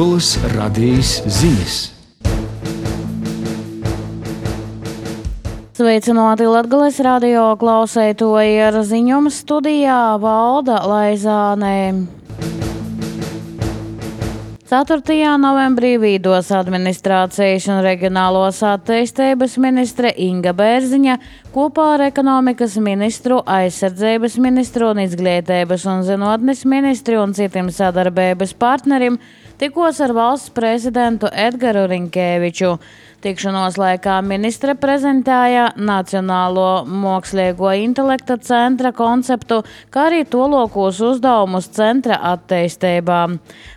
Latgolas radijas ziņas. Sveicināti Latgolas radio klausētoji, ar ziņojumu studijā Valda Laizāne. 4. novembrī Vīdos administrācijas un reģionālos attīstības ministre Inga Bērziņa kopā ar ekonomikas ministru, aizsardzības ministru un izglītības un zinātnes ministri un citiem sadarbības partneriem tikos ar valsts prezidentu Edgaru Rinkēviču. Tikšanos laikā ministre prezentēja Nacionālo mākslīgo intelekta centra konceptu, kā arī tolokos uzdevumus centra attīstībā.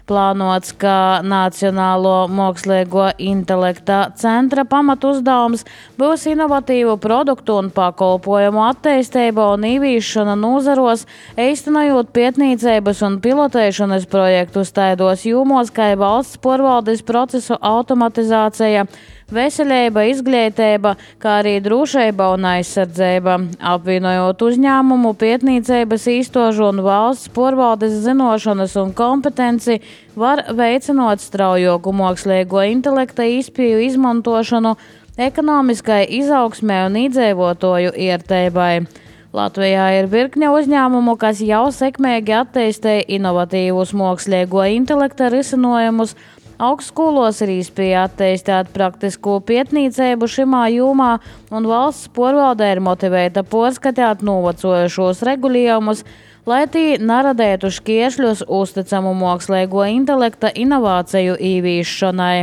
Plānots, ka Nacionālo mākslīgo intelekta centra pamatuzdevums būs inovatīvu produktu un pakalpojumu attīstība un ieviešana nozaros, īstenojot pētniecības un pilotēšanas projektus taidos jomos, kā valsts pārvaldes procesu automatizācija, veselība, izglītība, kā arī drošība un aizsardzība, apvienojot uzņēmumu, pētniecības īstožu un valsts pārvaldes zinošanas un kompetenci, var veicinot straujoku mākslīgo intelekta izpēju izmantošanu ekonomiskai izaugsmē un iedzīvotāju ierteibai. Latvijā ir virkne uzņēmumu, kas jau sekmīgi attīstīja inovatīvus mākslīgo intelekta risinājumus. Augstskolos ir iespēja attīstīt praktisko pētniecību šimā jomā, un valsts pārvalde ir motivēta pārskatīt novecojušos regulējumus, lai tie neradētu šķēršļus uzticamu mākslīgo intelekta inovāciju ieviešanai.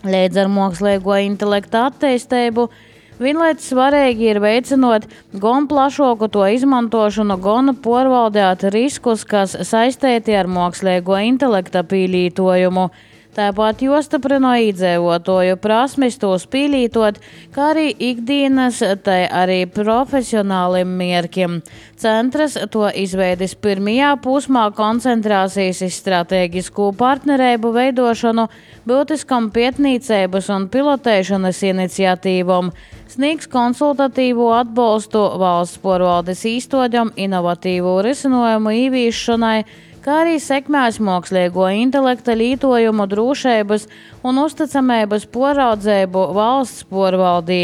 Līdz ar mākslīgo intelekta attīstību vienlaikus svarīgi ir veicinot gan plašāku to izmantošanu, gan pārvaldīt riskus, kas saistīti ar mākslīgo intelekta pielietojumu. Tāpat jostiprina iedzīvotāju prasmes tos pielietot, kā arī ikdienas, tai arī profesionāliem mērķiem. Centrs to izveidis pirmajā posmā koncentrācijas uz stratēģisku partnerību veidošanu, būtiskam pētniecības un pilotēšanas iniciatīvam, sniegs konsultatīvo atbalstu valsts pārvaldes īstodam inovatīvu risinājumu ieviešanai, kā arī sekmēs mākslīgo intelekta lietojumu drošības un uzticamības pāraudzību valsts pārvaldī.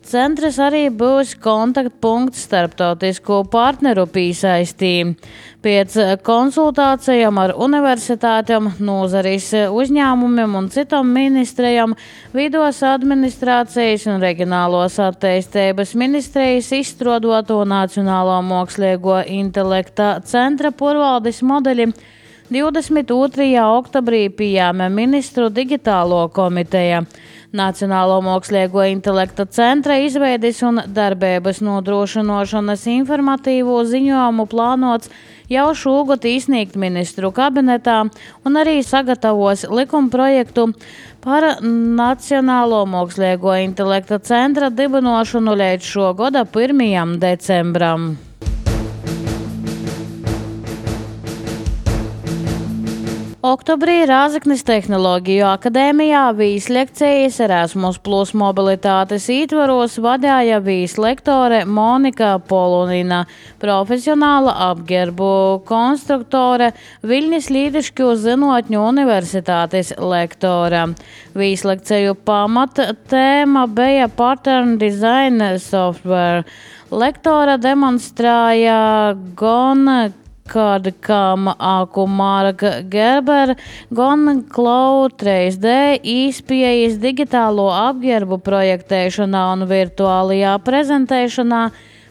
Centrs arī būs kontaktpunkts starptautisku partneru piesaistī. Pēc konsultācijām ar universitātēm, nozares uzņēmumiem un citam ministrijam Vīdos administrācijas un reģionālos attīstības ministrijas izstrādāto Nacionālo mākslīgo intelekta centra pārvaldes modeļi 22. oktobrī pieņēma ministru digitālo komiteja. Nacionālo mākslīgo intelekta centra izveides un darbības nodrošināšanas informatīvo ziņojumu plānots jau šogad izsniegt ministru kabinetā un arī sagatavos likumprojektu par Nacionālo mākslīgo intelekta centra dibināšanu līdz šo gada 1. decembram. Oktobrī Rāzaknis Tehnoloģiju akadēmijā vīslekcijas Erasmus Plus mobilitātes ietvaros vadīja vīslektore Monika Polunina, profesionāla apģērbu konstruktore, Viļņas Līdišķu zinātņu universitātes lektore. Vīslekciju pamata tēma bija Pattern Design Software. Lektora demonstrēja gan Kādkam Aku Marka Gerber, gan Cloud 3D izpējas digitālo apģērbu projektēšanā un virtuālajā prezentēšanā,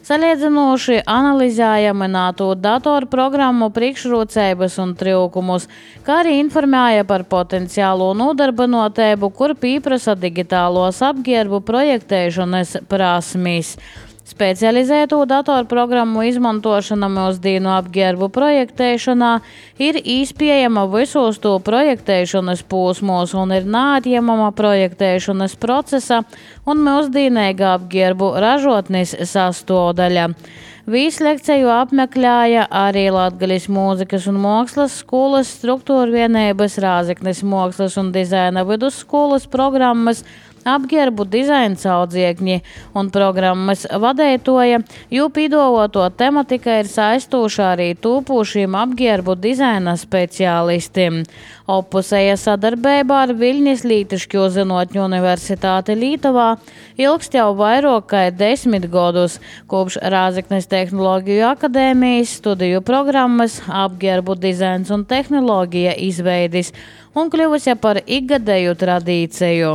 salīdzinoši analizēja minēto datorprogrammu priekšrocības un trūkumus, kā arī informēja par potenciālo nodarbinotību, kur pieprasa digitālos apģērbu projektēšanas prasmes. Specializēto datorprogrammu izmantošana mūsdienu apģērbu projektēšanā ir iespējama visos to projektēšanas posmos un ir neatņemama projektēšanas procesa un mūsdienīga apģērbu ražotnes sastāvdaļa. Vīslekciju apmeklēja arī Latgaļas mūzikas un mākslas skolas struktūrvienības Rāzaknis mākslas un dizaina vidusskolas programmas apģērbu dizaina audziekņi un programmas vadētoja, jo pīdoloto tematika ir saistoša arī tūpūšiem apģērbu dizaina speciālistiem. Oppusēja sadarbībā ar Viļņas Lītiškio zinotņu universitāti Lītuvā ilgst jau vairāk kā 10 gadus, kopš Rāzaknis Tehnoloģiju akadēmijas studiju programmas apģērbu dizains un tehnoloģija izveidis un kļuvusi par ikgadēju tradīciju.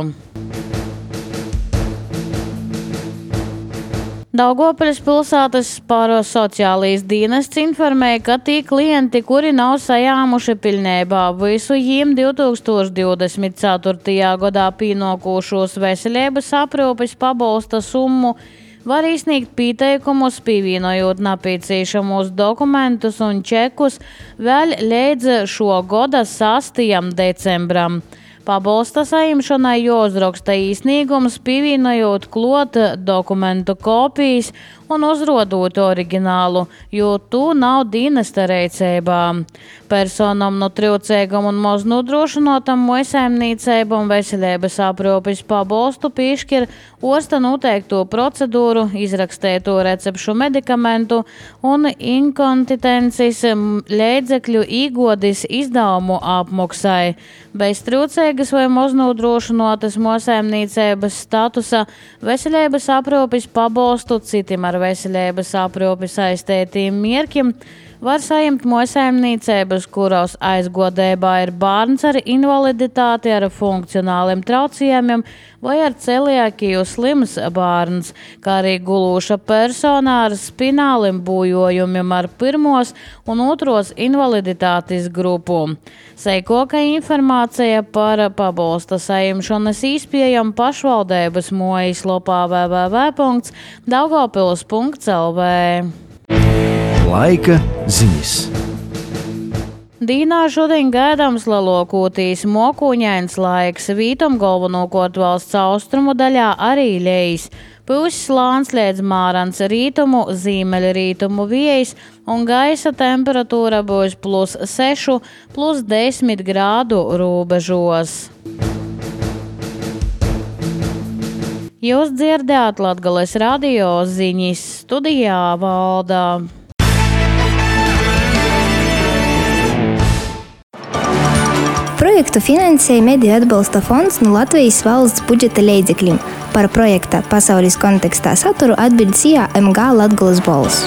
Daugavpils pilsētas sociālais dienests informēja, ka tie klienti, kuri nav sajāmuši pilnībā visu jiem 2024. gadā pienākošos veselības aprūpes pabalsta summu, var izsniegt pieteikumus, pievienojot nepieciešamos dokumentus un čekus vēl līdz šo gada 6. decembram. Pabalsta saimšanai jāuzraksta īsnīgums, pievienojot klāt dokumentu kopijas un uzrodot oriģinālu, jo tu nav dienesta rīcībā. Personam no trūcīgam un maz nodrošinotam mājsaimniecībam veselības aprūpes pabalstu piešķir orsta noteikto procedūru, izrakstēto recepšu medikamentu un inkontinences līdzekļu īgodis izdevumu apmaksai. Bez trūcīgas vai maz nodrošinotas mājsaimniecības statusa veselības aprūpes pabalstu citim ar veselības aprūpi saistītiem mērķiem var saņemt mājsaimniecības, kuros aizgodībā ir bērns ar invaliditāti, ar funkcionāliem traucējumiem vai ar celiakiju slims bērns, kā arī gulūša persona ar spināliem bojojumiem ar pirmos un otros invaliditātes grupu. Seikoka informācija par pabalsta saņemšanas iespējām pašvaldības mājaslapā www.daugavpils.lv. Laika ziņas. Dīnā šodien gaidāms lielākoties mokuņains laiks, vītam galvenokārt valsts austrumu daļā arī lejs. Pūs slāns līdz mārans, rītumu, ziemeļrītumu vējs un gaisa temperatūra būs +6, +10 grādu robežos. Jūs dzirdējāt Latgales radio ziņas, studijā Valda. Projektu finansēja Mediju atbalsta fonds no Latvijas valsts budžeta līdzekļiem. Par projekta pasaules kontekstā saturu atbild SIA MG Latgales balss.